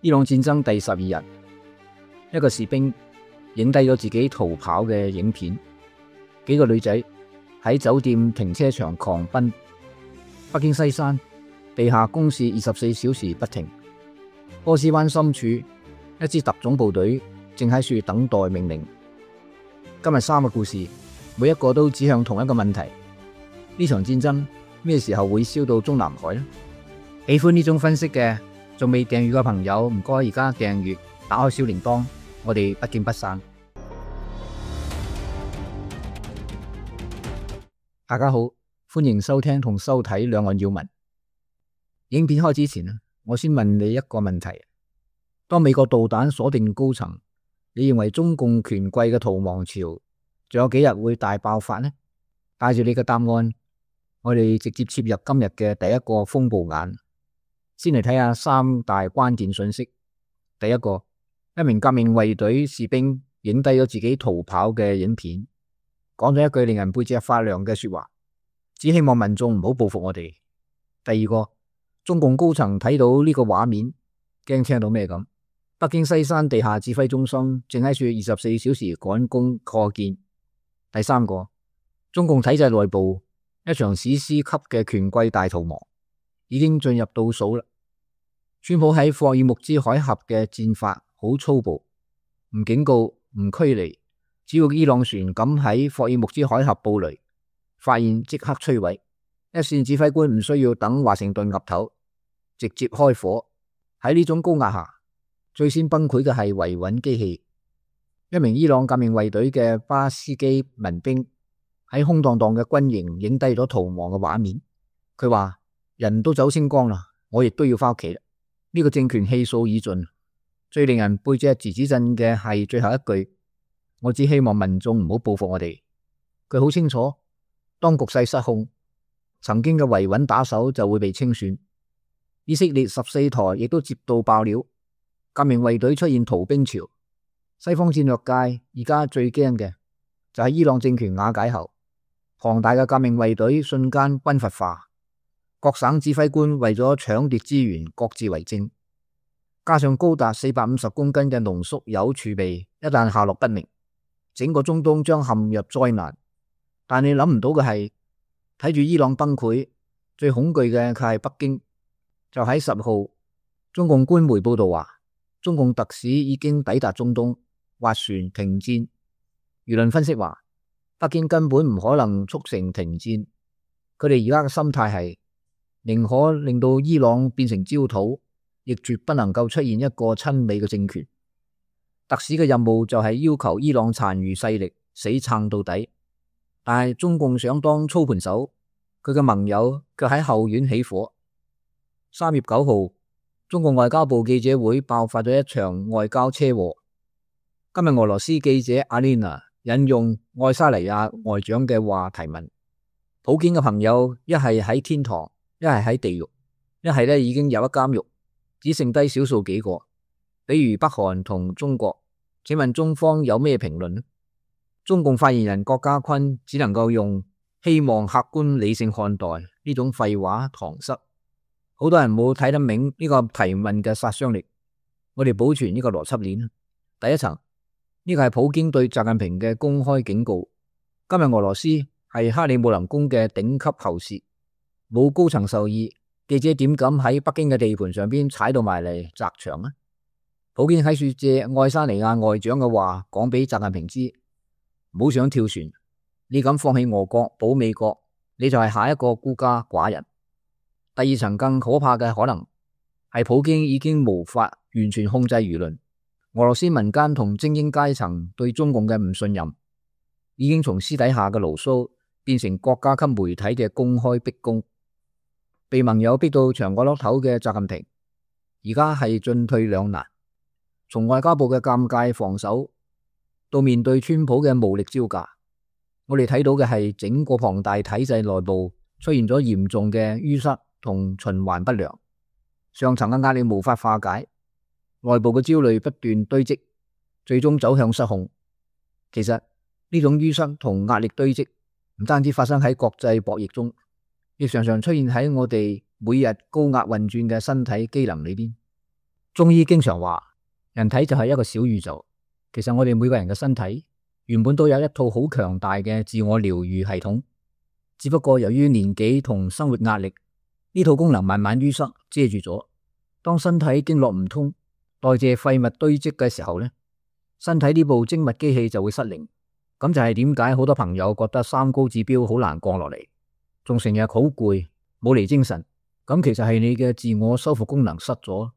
伊朗戰爭第12日，一個士兵影低咗自己逃跑嘅影片，幾個女仔喺酒店停車場狂奔。北京西山地下攻勢24小時不停。波斯灣深處，一支特種部隊正喺處等待命令。今日3個故事，每一個都指向同一個問題：呢場戰爭咩時候會燒到中南海呢？喜歡呢種分析嘅，仲未訂閱嘅朋友，唔該而家訂閱，打開小鈴鐺，我哋不見不散。大家好，歡迎收聽同收睇兩岸要聞。影片開始前，我先問你一個問題：當美國導彈鎖定高層，你認為中共權貴嘅逃亡潮仲有幾日會大爆發呢？帶住你嘅答案，我哋直接切入今日嘅第一個風暴眼。先嚟睇下3大關鍵信息。第一個，一名革命衛隊士兵影低咗自己逃跑嘅影片，講咗一句令人背脊發涼嘅說話，只希望民眾唔好報復我哋。第二個，中共高層睇到呢個畫面，驚聽到咩咁？北京西山地下指揮中心正喺處24小時趕工擴建。第三個，中共體制內部一場史詩級嘅權貴大逃亡已經進入倒數啦。川普喺霍爾木茲海峽嘅戰法好粗暴，唔警告，唔驅離，只要伊朗船敢喺霍爾木茲海峽布雷，發現即刻摧毀。一線指揮官唔需要等華盛頓岌頭，直接開火。喺呢種高壓下，最先崩潰嘅係維穩機器。一名伊朗革命衛隊嘅巴斯基民兵喺空蕩蕩嘅軍營影低咗逃亡嘅畫面。佢話：人都走清光啦，我亦都要翻屋企啦。呢個政權氣數已盡，最令人背脊吱吱震嘅係最後一句：我只希望民眾唔好報復我哋。佢好清楚，當局勢失控，曾經嘅維穩打手就會被清算。以色列14台亦都接到爆料，革命衛隊出現逃兵潮。西方戰略界而家最驚嘅就係伊朗政權瓦解後，龐大嘅革命衛隊瞬間軍閥化。各省指揮官為咗搶奪資源，各自為政，加上高達450公斤嘅濃縮鈾儲備，一旦下落不明，整個中東將陷入災難。但你諗唔到嘅係，睇住伊朗崩潰，最恐懼嘅佢係北京。就喺10號，中共官媒報道話，中共特使已經抵達中東，斡旋停戰。輿論分析話，北京根本唔可能促成停戰，佢哋而家嘅心態係，寧可令到伊朗變成焦土，亦絕不能夠出現一個親美嘅政權。特使嘅任務就係要求伊朗殘餘勢力死撐到底，但係中共想當操盤手，佢嘅盟友卻喺後院起火。3月9號，中共外交部記者會爆發咗一場外交車禍。今日俄羅斯記者阿麗娜引用愛沙尼亞外長嘅話提問：普京嘅朋友一係喺天堂，一係喺地獄，一係已經有一監獄，只剩低少數幾個，比如北韓同中國。請問中方有咩評論？中共發言人郭家坤只能夠用希望客觀理性看待呢種廢話搪塞。好多人冇睇得明呢個提問嘅殺傷力。我哋保存呢個邏輯鏈。第一層，呢個係普京對習近平嘅公開警告。今日俄羅斯係克里姆林宮嘅頂級喉舌，冇高層授意，記者點敢喺北京嘅地盤上邊踩到埋嚟砸場呢？普京喺處借愛沙尼亞外長嘅話講俾習近平知，唔好想跳船，你敢放棄俄國保美國，你就係下一個孤家寡人。第二層更可怕嘅可能係普京已經無法完全控制輿論，俄羅斯民間同精英階層對中共嘅唔信任已經從私底下嘅牢騷變成國家級媒體嘅公開逼宮，被盟友逼到牆角落頭嘅習近平而家係進退兩難。從外交部嘅尷尬防守到面對川普嘅無力招架，我哋睇到嘅係整個龐大體制內部出現咗嚴重嘅淤塞同循環不良，上層嘅壓力無法化解，內部嘅焦慮不斷堆積，最終走向失控。其實呢種淤塞同壓力堆積唔單止發生喺國際博弈中，亦常常出現喺我哋每日高壓運轉嘅身體機能裏邊。中醫經常話，人體就係一個小宇宙。其實我哋每個人嘅身體原本都有一套好強大嘅自我療愈系統，只不過由於年紀同生活壓力，呢套功能慢慢淤塞遮住咗。當身體經絡唔通，代謝廢物堆積嘅時候呢，身體呢部精密機器就會失靈。咁就係點解好多朋友覺得三高指標好難降落嚟，仲成日好攰，冇嚟精神。咁其實係你嘅自我修復功能失咗。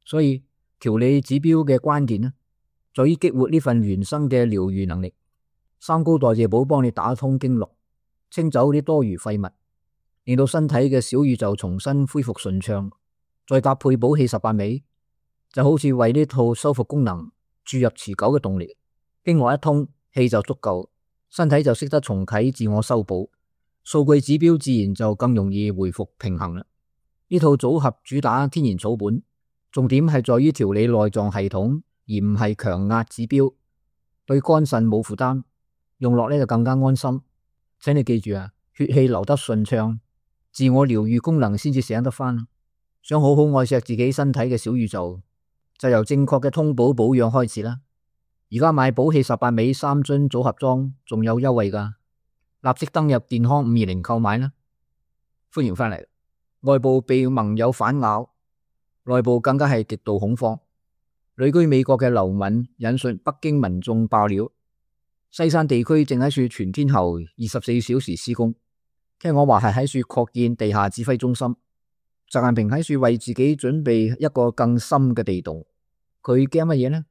所以調理指標嘅關鍵呢，在於激活呢份原生嘅療愈能力。三高代謝寶幫你打通經絡，清走啲多餘廢物，令到身體嘅小宇宙重新恢復順暢。再搭配補氣18味，就好似為呢套修復功能注入持久嘅動力。經絡一通，氣就足夠，身體就識得重啟自我修補，數據指標自然就更容易回復平衡啦。呢套組合主打天然草本，重點係在於調理內臟系統，而唔係強壓指標，對肝腎冇負擔，用落呢就更加安心。請你記住啊，血氣流得順暢，自我療愈功能先至醒得返。想好好愛錫自己身體嘅小宇宙，就由正確嘅通補保養開始啦。而家買補氣18味3樽組合裝仲有優惠噶，立即登入健康520購買啦。歡迎返嚟。外部被盟友反咬，內部更加係極度恐慌。旅居美國嘅劉敏引述北京民眾爆料，西山地區正喺處全天候24小時施工，聽講話係喺處擴建地下指揮中心。習近平喺處為自己準備一個更深嘅地洞，佢驚乜嘢呢？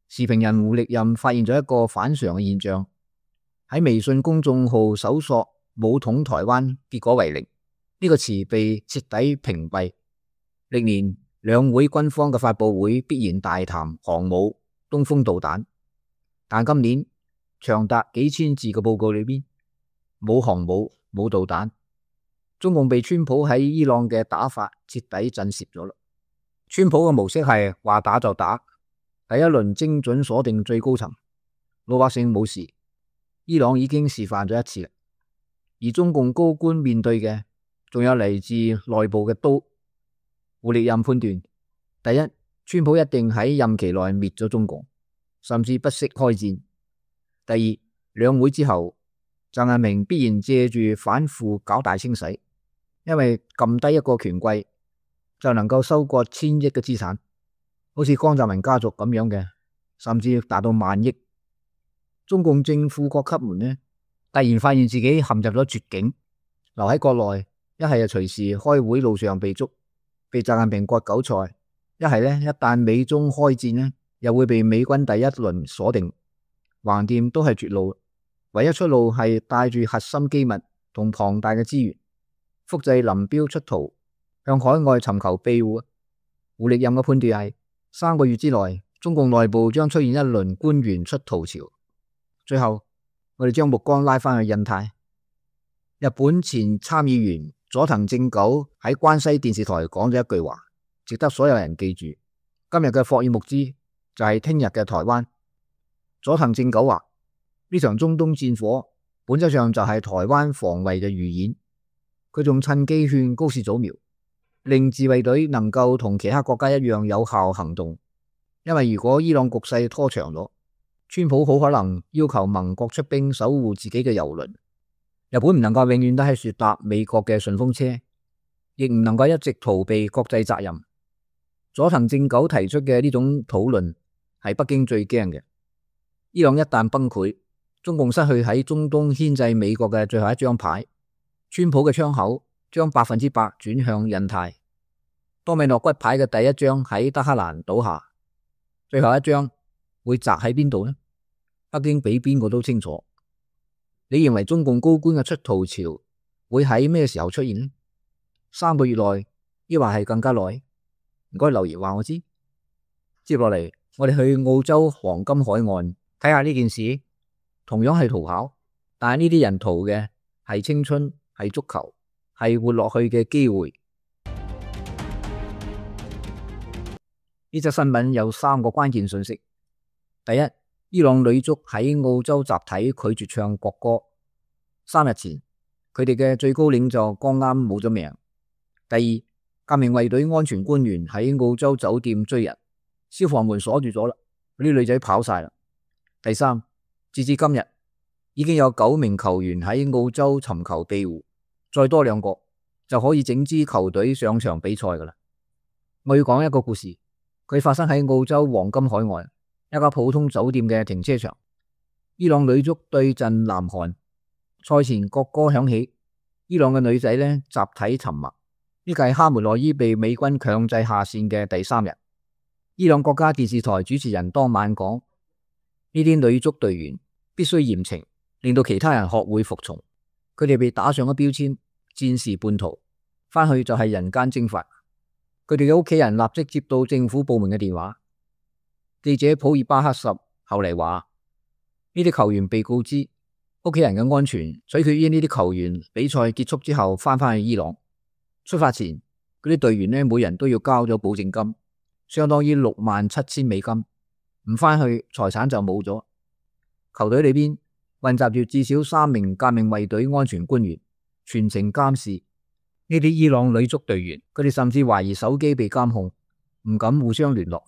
時評人胡力任發現咗一個反常嘅現象，喺微信公眾號搜索武統台灣，結果為零。呢個詞被徹底屏蔽。歷年兩會軍方嘅發佈會必然大談航母、東風導彈，但今年長達幾千字嘅報告裏邊冇航母、冇導彈。中共被川普喺伊朗嘅打法徹底震懾咗啦。川普嘅模式係話打就打，第一輪精準鎖定最高層，老百姓冇事。伊朗已經示範咗一次啦，而中共高官面對嘅仲有嚟自內部嘅刀。胡力任判斷，第一，川普一定喺任期內滅咗中共，甚至不惜開戰。第二，兩會之後，習近平必然借住反腐搞大清洗，因為撳低一個權貴就能夠收割1000億嘅資產，好似江澤民家族咁樣嘅，甚至達到萬億。中共正副國級們呢，突然發現自己陷入咗絕境，留喺國內，一係就隨時開會路上被捉，被習近平割韭菜；一係呢，一旦美中開戰呢，又會被美軍第一輪鎖定，橫掂都係絕路。唯一出路係帶住核心機密同龐大嘅資源，複製林彪出逃，向海外尋求庇護。胡力任嘅判斷係3個月之內，中共內部將出現一輪官員出逃潮。最後，我哋將目光拉返去印太。日本前參議員佐藤正久喺關西電視台講咗一句話，值得所有人記住。今日嘅霍爾木茲就係聽日嘅台灣。佐藤正久話，呢場中東戰火本質上就係台灣防衛嘅預演。佢仲趁機勸高市早苗，令自衛隊能夠同其他國家一樣有效行動。因為如果伊朗局勢拖長咗，川普好可能要求盟國出兵守護自己嘅油輪。日本唔能夠永遠都係說搭美國嘅順風車，亦唔能夠一直逃避國際責任。佐藤正久提出嘅呢種討論係北京最驚嘅。伊朗一旦崩潰，中共失去喺中東牽制美國嘅最後一張牌，川普嘅槍口將100%轉向印太。多米諾骨牌嘅第一張喺德黑蘭倒下，最後一張會砸喺邊度呢？北京比邊個都清楚。你認為中共高官嘅出逃潮會喺咩時候出現呢？3個月內，抑或係更加耐？唔該留言話我知。接落嚟，我哋去澳洲黃金海岸睇下呢件事，同樣係逃跑，但係呢啲人逃嘅係青春，係足球，係活落去嘅機會。呢則新聞有3個關鍵信息。第一，伊朗女足喺澳洲集體拒絕唱國歌。3日前，佢哋嘅最高領袖剛啱冇咗命。第二，革命衛隊安全官員喺澳洲酒店追人，消防門鎖住咗啦，嗰啲女仔跑晒啦。第三，截至今日已經有9名球員喺澳洲尋求庇護，再多2個就可以整支球隊上場比賽噶啦。我要講一個故事，佢發生喺澳洲黃金海岸一家普通酒店嘅停車場。伊朗女足對陣南韓，賽前國歌響起，伊朗嘅女仔呢集體沉默。呢個係哈梅內伊被美軍強制下線嘅第3日。伊朗國家電視台主持人當晚講，呢啲女足隊員必須嚴懲，令到其他人學會服從。佢哋被打上咗標籤，戰時叛徒，翻去就係人間蒸發。佢哋嘅屋企人立即接到政府部門嘅電話。記者普爾巴克什後嚟話，呢啲球員被告知屋企人嘅安全取決於呢啲球員比賽結束之後翻去伊朗。出發前嗰啲隊員呢，每人都要交咗保證金，相當於$67,000美金。唔翻去財產就冇咗。球隊裏邊混雜住至少3名革命衛隊安全官員，全程監視呢啲伊朗女足隊員。佢哋甚至懷疑手機被監控，唔敢互相聯絡。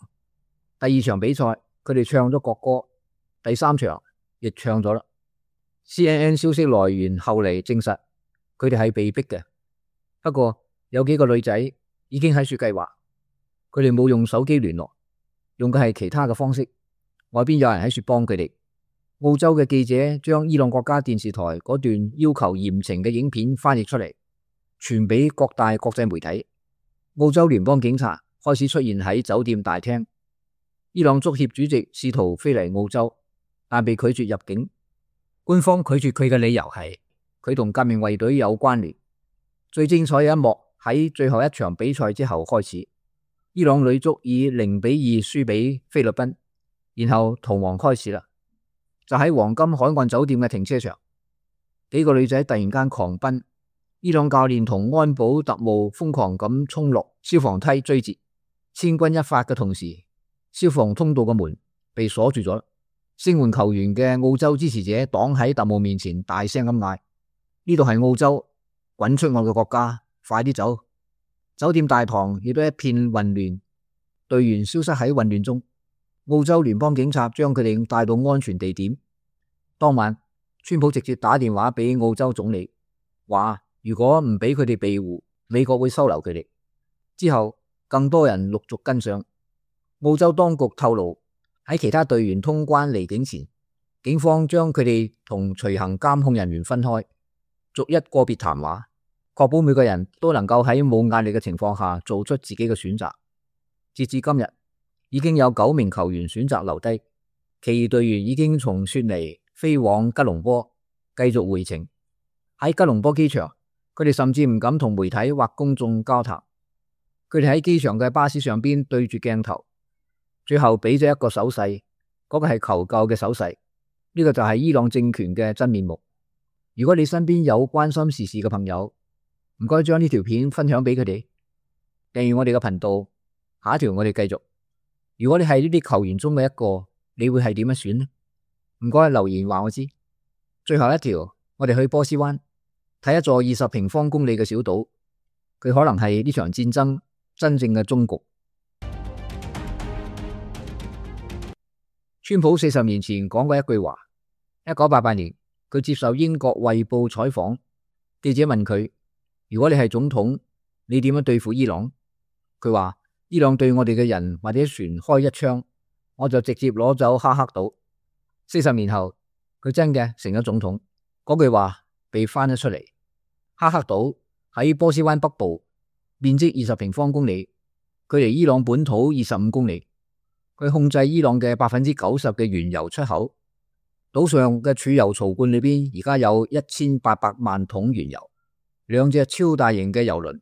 第2場比賽佢哋唱咗國歌，第3場亦唱咗啦。CNN 消息來源後嚟證實佢哋係被逼嘅，不過有幾個女仔已經喺處計劃，佢哋冇用手機聯絡，用嘅係其他嘅方式。外邊有人喺處幫佢哋。澳洲嘅記者將伊朗國家電視台嗰段要求嚴懲嘅影片翻譯出嚟，傳俾各大國際媒體。澳洲聯邦警察開始出現喺酒店大廳。伊朗足協主席試圖飛嚟澳洲，但被拒絕入境。官方拒絕佢嘅理由係佢同革命衛隊有關聯。最精彩嘅一幕喺最後一場比賽之後開始，伊朗女足以0-2輸俾菲律賓，然後逃亡開始啦。就喺黃金海岸酒店嘅停車場，幾個女仔突然間狂奔，伊朗教練同安保特務瘋狂咁衝落消防梯追截，千鈞一髮嘅同時，消防通道嘅門被鎖住咗。聲援球員嘅澳洲支持者擋喺特務面前，大聲咁嗌：呢度係澳洲，滾出我嘅國家，快啲走！酒店大堂亦都一片混亂，隊員消失喺混亂中。澳洲聯邦警察將佢哋帶到安全地點。當晚，川普直接打電話俾澳洲總理，話如果唔俾佢哋庇護，美國會收留佢哋。之後，更多人陸續跟上。澳洲當局透露，喺其他隊員通關離境前，警方將佢哋同隨行監控人員分開，逐一個別談話，確保每個人都能夠喺冇壓力嘅情況下做出自己嘅選擇。截至今日，已經有9名球員選擇留低，其餘隊員已經從雪梨飛往吉隆坡，繼續回程。喺吉隆坡機場，佢哋甚至唔敢同媒體或公眾交談。佢哋喺機場嘅巴士上邊對住鏡頭，最後俾咗一個手勢，嗰個係求救嘅手勢。呢個就係伊朗政權嘅真面目。如果你身邊有關心時事嘅朋友，唔該將呢條片分享俾佢哋，訂閱我哋嘅頻道。下一條我哋繼續。如果你係呢啲球員中嘅一個，你會係點樣選呢？唔該留言話我知。最後一條，我哋去波斯灣睇一座20平方公里嘅小島，佢可能係呢場戰爭真正嘅終局。川普40年前講過一句話，1988年佢接受英國衛報採訪，記者問佢：如果你係總統，你點樣對付伊朗？佢話：伊朗對我哋嘅人或者船開一槍，我就直接攞走哈克島。40年後，佢真嘅成咗總統。嗰句話被翻咗出嚟。哈克島喺波斯灣北部，面積20平方公里，距離伊朗本土25公里。佢控制伊朗嘅90%嘅原油出口。島上嘅儲油槽罐裏邊而家有1800萬桶原油，2隻超大型嘅油輪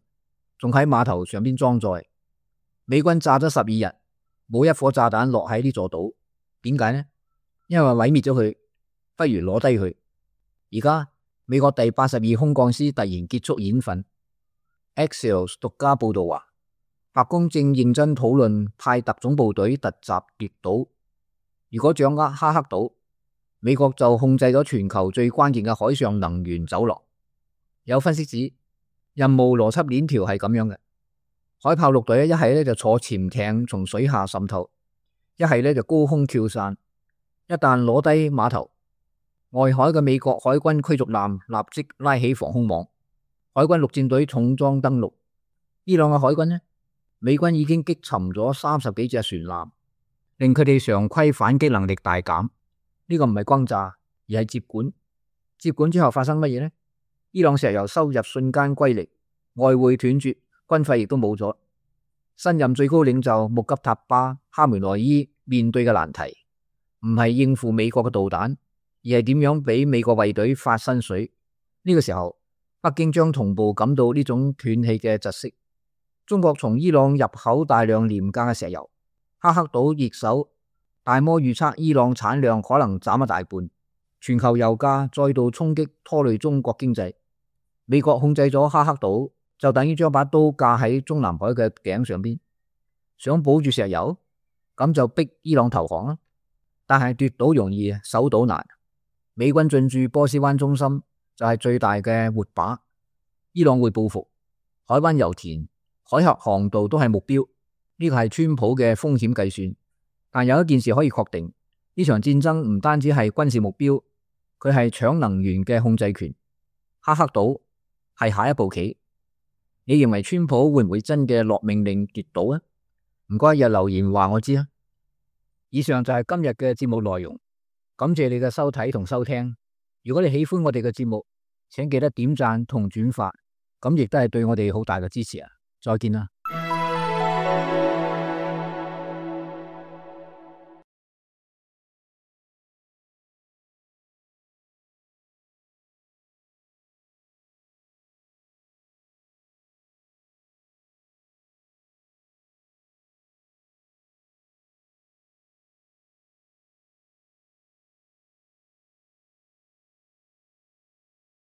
仲喺碼頭上邊裝載。美軍炸咗12日，冇一顆炸彈落喺呢座島。點解呢？因為毀滅咗佢，不如攞低佢。而家美國第82空降師突然結束演訓。Axios 獨家報道話，白宮正認真討論派特種部隊突襲奪島。如果掌握哈克島，美國就控制咗全球最關鍵嘅海上能源走廊。有分析指，任務邏輯鏈條係咁樣嘅：海豹陸隊一係就坐潛艇從水下滲透，一係呢就高空跳傘。一旦攞低碼頭，外海嘅美國海軍驅逐艦立即拉起防空網，海軍陸戰隊重裝登陸。伊朗嘅海軍呢，美軍已經擊沉咗30幾隻船艦，令佢哋常規反擊能力大減。呢個唔係轟炸，而係接管。接管之後發生乜嘢呢？伊朗石油收入瞬間歸零，外匯斷絕，軍費亦都冇咗。新任最高領袖穆吉塔巴·哈梅內伊面對嘅難題，唔係應付美國嘅導彈，而係點樣俾美國衛隊發薪水。呢個時候，北京將同步感到呢種斷氣嘅窒息。中國從伊朗入口大量廉價嘅石油，哈克島易手，大摩預測伊朗產量可能斬一大半，全球油價再度衝擊，拖累中國經濟。美國控制咗哈克島，就等於將把刀架喺中南海嘅頸上邊，想保住石油，咁就逼伊朗投降啦。但係奪島容易，守島難。美軍進駐波斯灣中心就係最大嘅活靶，伊朗會報復，海灣油田、海峽航道都係目標。呢個係川普嘅風險計算。但有一件事可以確定，呢場戰爭唔單止係軍事目標，佢係搶能源嘅控制權。哈克島係下一步棋。你認為川普會唔會真嘅落命令奪島啊？唔該，日留言話我知啊。以上就係今日嘅節目內容，感謝你嘅收睇同收聽。如果你喜歡我哋嘅節目，請記得點讚同轉發，咁亦都係對我哋好大嘅支持啊！再見啦。